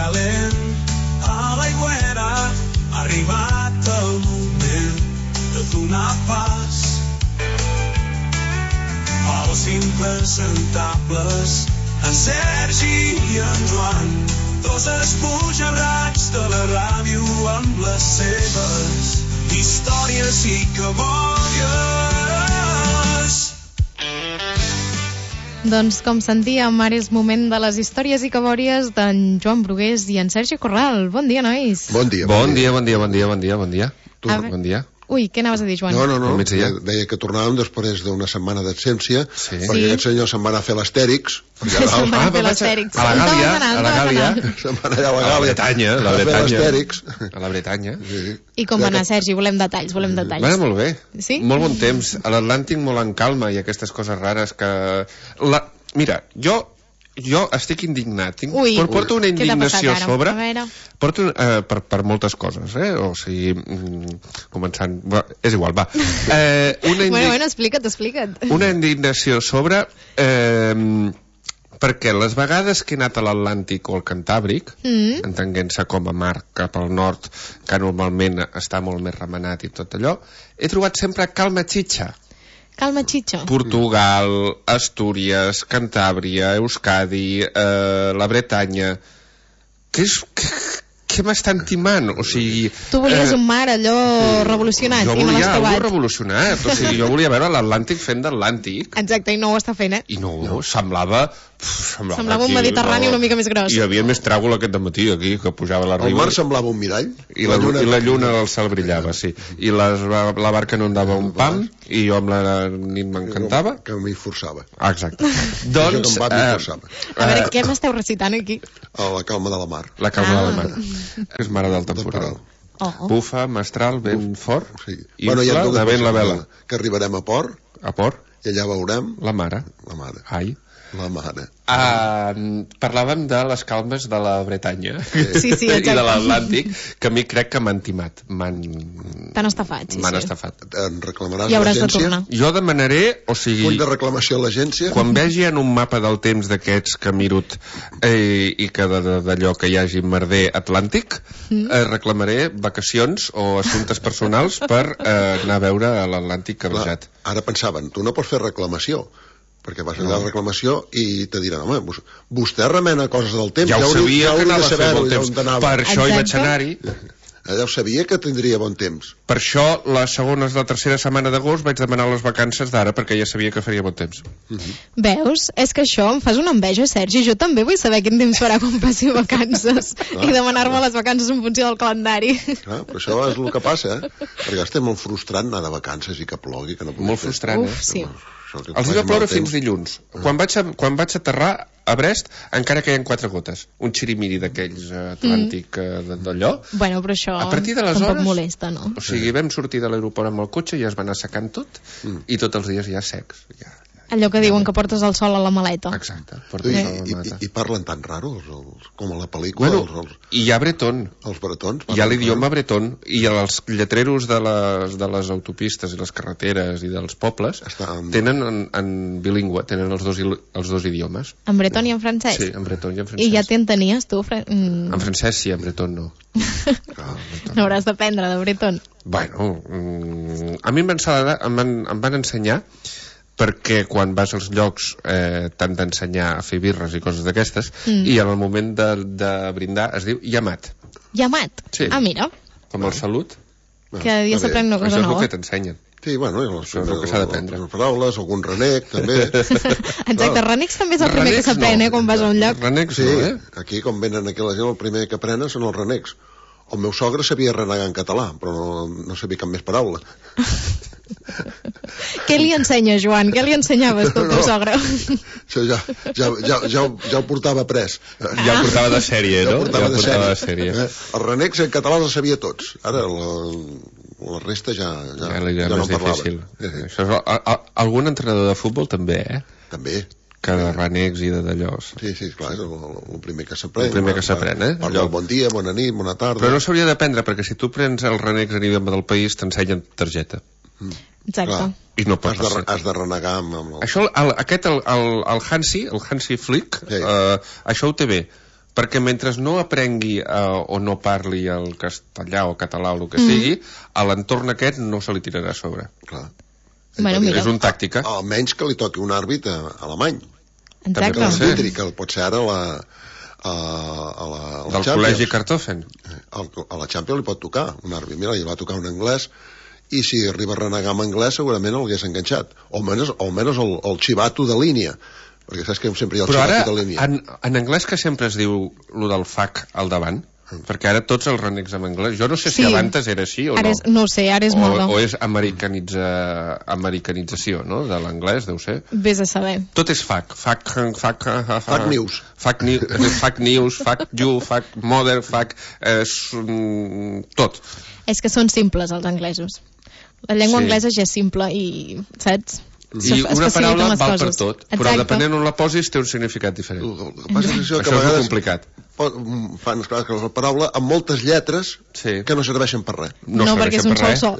calent a l'aigüera. Ha arribat el moment de donar pas als impresentables, en Sergi i en Joan, dos esbojarrats de la ràdio amb les seves històries i cabòries. Doncs com sentíem, ara és moment de les històries i cabòries d'en Joan Brugués i en Sergi Corral. Bon dia, nois. Bon dia. Bon dia. Tu, bon dia. Ui, què anaves a dir, Joan? No, deia que tornàvem després d'una setmana d'absència, perquè aquest senyor se'n va anar a fer l'Astèrix. Se'n va anar a fer l'Astèrix. A la Gàlia. Se'n va anar a la Gàlia. A la Bretanya. I com va anar, Sergi? Volem detalls. Va anar molt bé. Sí? Molt bon temps. A l'Atlàntic molt en calma i aquestes coses rares que... Mira, jo estic indignat. Porto una indignació a sobre. Porto per moltes coses, o sigui, començant... És igual, va. Bueno, explica't. Una indignació a sobre... perquè les vegades que he anat a l'Atlàntic o al Cantàbric, entenguent-se com a mar cap al nord, que normalment està molt més remenat i tot allò, he trobat sempre calma xitxa. Calma xitxa. Portugal, Astúries, Cantàbria, Euskadi, la Bretanya... Què m'estan timant? O sigui... Tu volies un mar allò revolucionat i no l'has trobat. Jo volia allò revolucionat. O sigui, jo volia veure l'Atlàntic fent d'Atlàntic. Exacte, i no ho està fent, I no, semblava un Mediterrani una mica més gros. Hi havia més tràgol aquest dematí aquí, que pujava la riba. El mar semblava un mirall. I la lluna al cel brillava, sí. I la barca no em dava un pam, i jo amb la nit m'encantava. Que m'hi forçava. Exacte. Doncs... A veure, què m'esteu recitant aquí? La calma de la mar. La calma de la mar. És mare del temporal. Bufa, mestral, vent fort, infla, de vent la vela. Que arribarem a port. A port. I allà veurem... La mare. Ai. La mare. Parlàvem de les calmes de la Bretanya sí, i de l'Atlàntic, que a mi crec que m'han timat. T'han estafat, M'han estafat. En reclamaràs a l'agència? Jo demanaré, o sigui... Full de reclamació a l'agència? Quan vegi en un mapa del temps d'aquests que miro i que d'allò que hi hagi merder atlàntic, reclamaré vacacions o assumptes personals per anar a veure l'Atlàntic cabrejat. Ara pensaven, tu no pots fer reclamació, perquè vas anar a la reclamació i te diran, home, vostè remena coses del temps, ja ho sabia que anava a fer bon temps, per això hi vaig anar-hi. Ja ho sabia que tindria bon temps. Per això la tercera setmana d'agost vaig demanar les vacances d'ara, perquè ja sabia que faria bon temps. Veus? És que això em fas una enveja, Sergi. Jo també vull saber quin temps farà quan passi vacances i demanar-me les vacances en funció del calendari. Però això és el que passa, perquè estem molt frustrant anar de vacances i que plogui, que no pugui fer. Molt frustrant, sí. Els va ploure fins dilluns. Quan vaig aterrar a Brest encara queien 4 gotes. Un xirimiri d'aquells atlàntic d'allò. Bueno, però això a partir d'aleshores tampoc molesta, no? O sigui, vam sortir de l'aeroport amb el cotxe i es va anar secant tot i tots els dies ja secs. Allò que diuen que portes el sol a la maleta. Exacte. I parlen tan raro com a la pel·lícula. I hi ha bretón. Els bretons. Hi ha l'idioma bretón. I els lletreros de les autopistes i les carreteres i dels pobles tenen en bilingüe, tenen els dos idiomes. En bretón i en francès? Sí, en bretón i en francès. I ja t'entenies tu? En francès sí, en bretón no. N'hauràs d'aprendre de bretón. Bueno, a mi em van ensenyar, perquè quan vas als llocs t'han d'ensenyar a fer birres i coses d'aquestes, i en el moment de brindar es diu llamat. Llamat? Sí. Ah, mira. Com el salut. Cada dia s'aprèn una cosa nova. Això és el que t'ensenyen. Sí, bueno, això és el que s'ha d'aprendre. Les paraules, algun renec, també. Exacte, renecs també és el primer que s'aprèn, quan vas a un lloc. Renecs no, eh? Aquí, quan venen aquí la gent, el primer que aprenen són els renecs. El meu sogre sabia renegar en català, però no sabia cap més paraula. Què li ensenya, Joan? Què li ensenyaves tu al teu sogre? Ja ho portava pres. Ja ho portava de sèrie, no? Ja ho portava de sèrie. Els renecs en català els sabia tots. Ara la resta ja no parlaven. Això és algun entrenador de futbol també, També. Que de renecs i d'allò. Sí, clar, és el primer que s'aprèn. El primer que s'aprèn, Parla bon dia, bona nit, bona tarda. Però no s'hauria d'aprendre, perquè si tu prens els renecs a nivell del país, t'ensenyen targeta. Exacte. I no pots has de renegar amb Això, el Hansi Flick, això ho té bé. perquè mentre no aprengui o no parli el castellà o català o el que sigui, a l'entorn aquest no se li tirarà a sobre. Clar. És una tàctica. Almenys que li toqui un àrbit alemany. Exacte. Que pot ser ara del col·legi Kartoffen. A la Champions li pot tocar un àrbit. Mira, li va tocar un anglès, i si arriba a renegar amb anglès segurament l'hagués enganxat. O almenys el xivato de línia, perquè saps que sempre hi ha el xivato de línia. Però ara, en anglès que sempre es diu lo del FAC al davant, perquè ara tots els renecs en anglès, jo no sé si abans era així o no. No ho sé, ara és moda. O és americanització, no?, de l'anglès, deu ser. Vés a saber. Tot és FAC. FAC news. FAC news, FAC you, FAC mother, FAC... tot. És que són simples, els anglesos. La llengua anglesa ja és simple i, saps? I una paraula val per tot, però depenent on la posis té un significat diferent. Això és molt complicat. Fan la paraula amb moltes lletres que no serveixen per res. No, perquè és un sol so.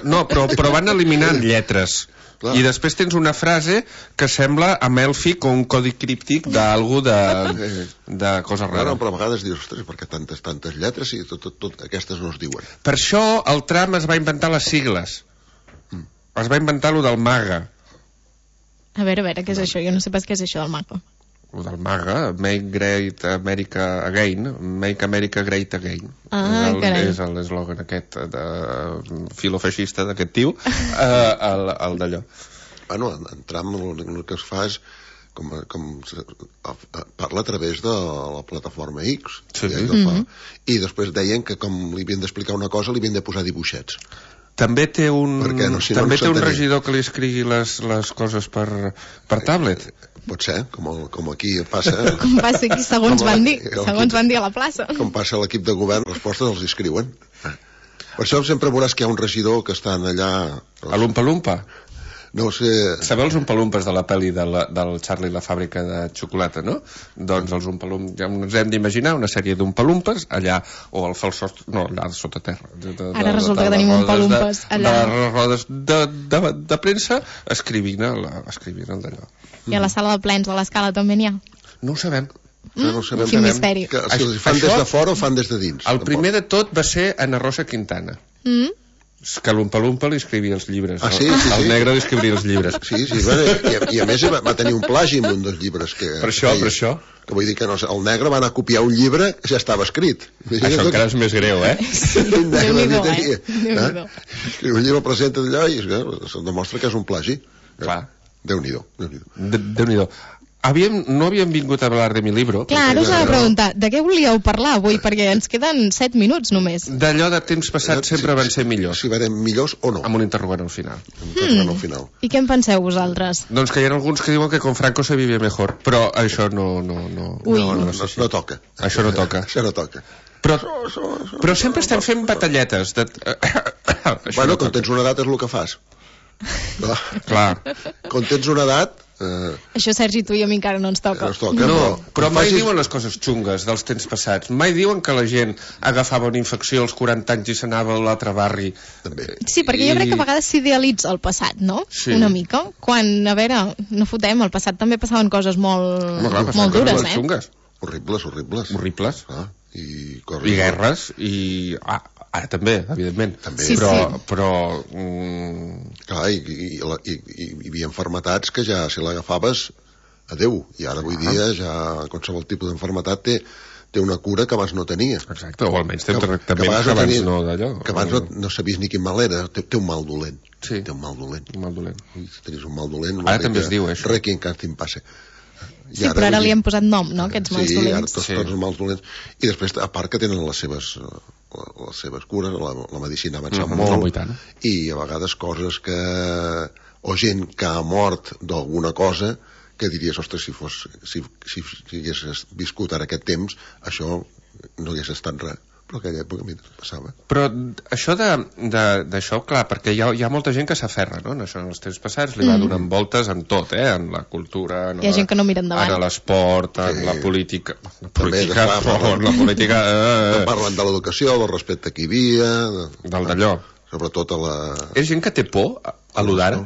No, però van eliminant lletres. I després tens una frase que sembla amèlfic o un codi críptic d'algú de cosa rara. Però a vegades dius, ostres, perquè tantes lletres i tot aquestes no es diuen. Per això el tram es va inventar les sigles. Es va inventar lo del MAGA. A veure, què és això? Jo no sé pas què és això del MAGA. Lo del MAGA, Make Great America Again, Make America Great Again. És l'eslògan aquest filofeixista d'aquest tio, el d'allò. Bueno, en Trump el que es fa és parla a través de la plataforma X. I després deien que com li havien d'explicar una cosa li havien de posar dibuixets. També té un regidor que li escrigui les coses per tablet. Pot ser, com aquí passa. Com passa aquí, segons van dir a la plaça. Com passa a l'equip de govern, les respostes els escriuen. Per això sempre veuràs que hi ha un regidor que estan allà... A l'Umpa-Lumpa? No sé... Sabeu els Umpalumpes de la pel·li del Charlie i la fàbrica de xocolata, no? Doncs els Umpalumpes, ja ens hem d'imaginar una sèrie d'Umpalumpes allà, o al falsós... No, allà sota terra. Ara resulta que tenim Umpalumpes allà. De les rodes de premsa escrivint el d'allò. I a la sala de plens de l'Escala també n'hi ha? No ho sabem. Quin misteri. Si els fan des de fora o fan des de dins? El primer de tot va ser Ana Rosa Quintana. Que l'Umpa-Lumpa li escrivia els llibres. El negre li escrivia els llibres. Sí, i a més va tenir un plagi en un dels llibres que... Per això. Que vull dir que el negre va anar a copiar un llibre que ja estava escrit. Això encara és més greu, Déu-n'hi-do, Escriu un llibre, presenta d'allò i se'n demostra que és un plagi. Clar. Déu-n'hi-do. No havíem vingut a parlar de mi libro. Clar, ara us he de preguntar, de què volíeu parlar avui? Perquè ens queden 7 minuts només. D'allò de temps passat sempre van ser millors. Si van millors o no. Amb un interrogant al final. I què en penseu vosaltres? Doncs que hi ha alguns que diuen que con Franco se vivia mejor, però això no toca. Això no toca. Això no toca. Però sempre estem fent batalletes. Bueno, quan tens una edat és el que fas. Clar. Quan tens una edat... Això, Sergi, tu i a mi encara no ens toca. Però mai diuen les coses xungues dels temps passats. Mai diuen que la gent agafava una infecció als 40 anys i s'anava a l'altre barri. Sí, perquè jo crec que a vegades s'idealitza el passat, no? Sí. Una mica. Quan, a veure, no fotem, al passat també passaven coses molt dures, xungues. Horribles. I guerres, i... Ara també, evidentment. Però... Clar, hi havia malalties que ja, si l'agafaves, adeu. I ara avui dia ja qualsevol tipus d'enfermetat té una cura que abans no tenia. Exacte, o almenys té un tractament que abans no d'allò. Que abans no sabies ni quin mal era. Té un mal dolent. Sí. Té un mal dolent. Si tenies un mal dolent... Ara també es diu, això. Requiem que te'n passe. Sí, però ara li hem posat nom, no?, aquests mals dolents. Sí, ara tots els mals dolents. I després, a part que tenen les seves cures, la medicina ha avançat molt, i a vegades coses que... o gent que ha mort d'alguna cosa que diries, ostres, si hagués viscut ara aquest temps, això no hagués estat res. Però aquella època a mi passava. Però això d'això, clar, perquè hi ha molta gent que s'aferra, no? En això, en els temps passats li va donant voltes en tot, en la cultura, hi ha gent que no mira endavant, en l'esport, en la política... Parlen de l'educació, del respecte que hi havia... Del d'allò. Sobretot a la... És gent que té por a lo d'ara?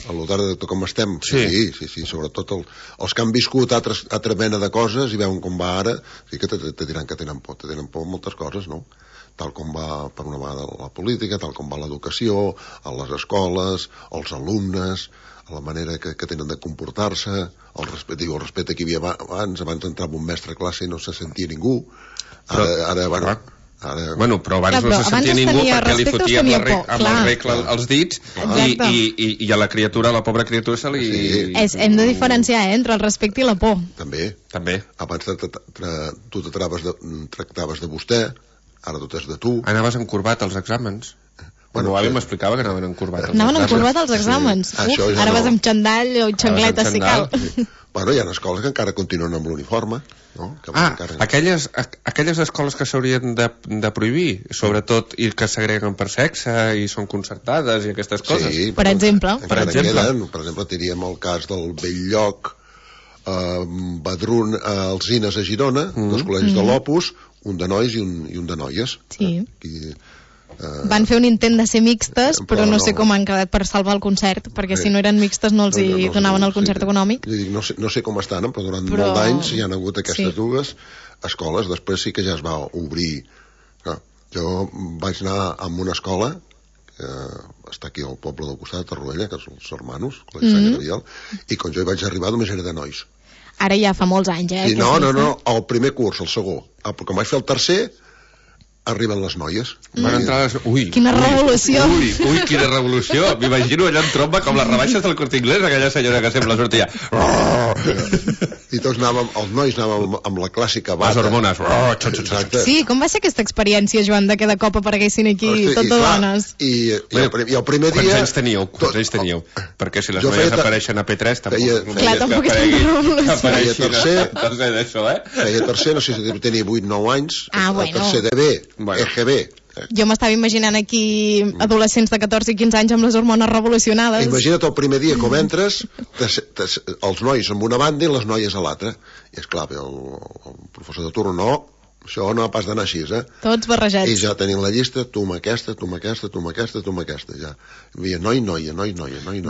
a l'hotar de com estem, sí, sobretot els que han viscut altra mena de coses i veuen com va ara, sí que te diran que tenen por moltes coses, no? Tal com va per una vegada la política, tal com va l'educació, a les escoles, els alumnes, a la manera que tenen de comportar-se, el respecte que hi havia abans entrava un mestre a classe i no se sentia ningú, Bueno, però abans no se sentia ningú perquè li fotia amb la regla als dits i a la criatura, a la pobra criatura se li... Hem de diferenciar entre el respecte i la por. També. Abans tu tractaves de vostè, ara tot és de tu. Anaves encorbat als exàmens. Bueno, l'avi m'explicava que anaven encorbat als exàmens. Anaven encorbat als exàmens. Ara vas amb xandall o xancleta, si cal. Bueno, hi ha escoles que encara continuen amb l'uniforme. Aquelles escoles que s'haurien de prohibir, sobretot, i que segreguen per sexe i són concertades i aquestes coses. Sí, per exemple. Per exemple, diríem el cas del Belllloc, Badrun, Alzines a Girona, dos col·legis de l'Opus, un de nois i un de noies. Sí. Van fer un intent de ser mixtes, però no sé com han quedat per salvar el concert, perquè si no eren mixtes no els donaven el concert econòmic. No sé com estan, però durant molts anys hi han hagut aquestes dues escoles. Després sí que ja es va obrir. Jo vaig anar a una escola que està aquí al poble del costat, a Torroella, que són els hermanos, i quan jo hi vaig arribar només era de nois. Ara ja fa molts anys, Sí, no, el primer curs, el segon. Però quan vaig fer el tercer, arriben les noies. Van entrar les... Quina revolució! Ui, quina revolució! M'imagino allà en tromba com les rebaixes del Corte Inglés, aquella senyora que sempre sortia. I tots anàvem, els nois anàvem amb la clàssica bata. Les hormones. Sí, com va ser aquesta experiència, Joan, de que de cop apareguessin aquí tot de dones? I el primer dia... Quants anys teníeu? Perquè si les noies apareixen a P3 tampoc és una revolució. Feia tercer, no sé si tenia 8-9 anys, el tercer de B, EGB. Jo m'estava imaginant aquí adolescents de 14 i 15 anys amb les hormones revolucionades. Imagina't el primer dia com entres, els nois amb una banda i les noies a l'altra. I esclar, el professor de turno, no, això no ha pas d'anar així, Tots barrejats. I ja tenien la llista, tu amb aquesta, tu amb aquesta, tu amb aquesta, tu amb aquesta, ja. Hi havia noia.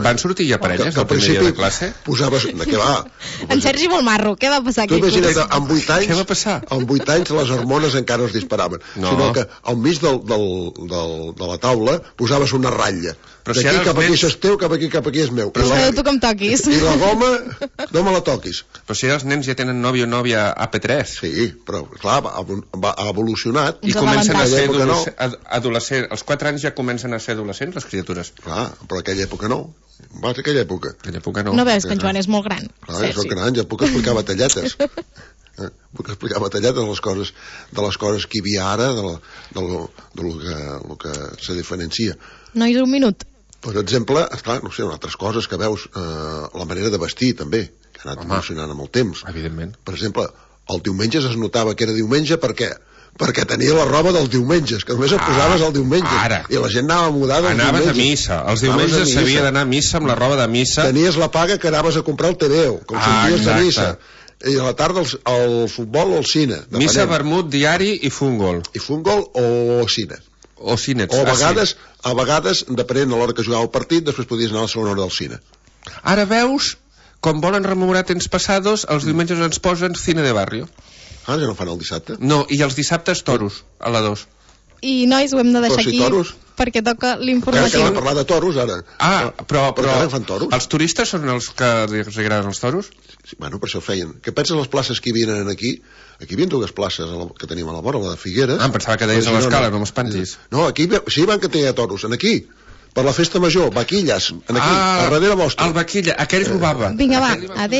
Van sortir ja parelles del primer dia de classe? Posaves... Què va? En Sergi Volmarro, què va passar aquí? Tu imagina't, amb 8 anys... Què va passar? Amb 8 anys les hormones encara no es disparaven. Sinó que al mig de la taula posaves una ratlla. D'aquí cap aquí això és teu, cap aquí és meu. Però tu com toquis. I la goma, no me la toquis. Però si els nens ja tenen nòvio o nòvia a P3. Sí, però clar, ha evolucionat. I comencen a ser adolescents. Als 4 anys ja comencen a ser adolescents, les criatures. Clar, però aquella època no. Vas a aquella època. No veus que en Joan és molt gran. Clar, és gran, ja puc explicar batalletes. Puc explicar batalletes de les coses que hi havia ara, del que se diferencia. Nois, un minut. Per exemple, esclar, no sé, altres coses que veus, la manera de vestir també, que ha anat evolucionant amb el temps. Evidentment. Per exemple, el diumenge es notava que era diumenge perquè tenia la roba dels diumenges, que només et posaves el diumenge. I la gent anava mudada els diumenges. Anaves a missa. Els diumenges s'havia d'anar a missa amb la roba de missa. Tenies la paga que anaves a comprar el TVO, com sorties de missa. I a la tarda el futbol o el cine. Missa, vermut, diari i futbol. I futbol o cine. O cinets. O a vegades, depenent de l'hora que jugava el partit, després podies anar a la segona hora del cine. Ara veus, com volen rememorar temps passados, els diumenges ens posen cine de barrio. Ja no fan el dissabte? No, i els dissabtes toros, a la 2. I nois, ho hem de deixar aquí perquè toca l'informatiu. Que hem de parlar de toros ara. Però fan toros. Els turistes són els que els agraden els toros? Bueno, per això feien. Què penses les places que hi havien aquí? Aquí hi havia dues places que teníem a la vora, la de Figueres. Em pensava que deies a l'Escala, no m'espantis. No, aquí sí van que tenia toros, aquí. Per la festa major, vaquilles, aquí, a darrere vostre. El vaquilla, aquell robava. Vinga, va, adéu.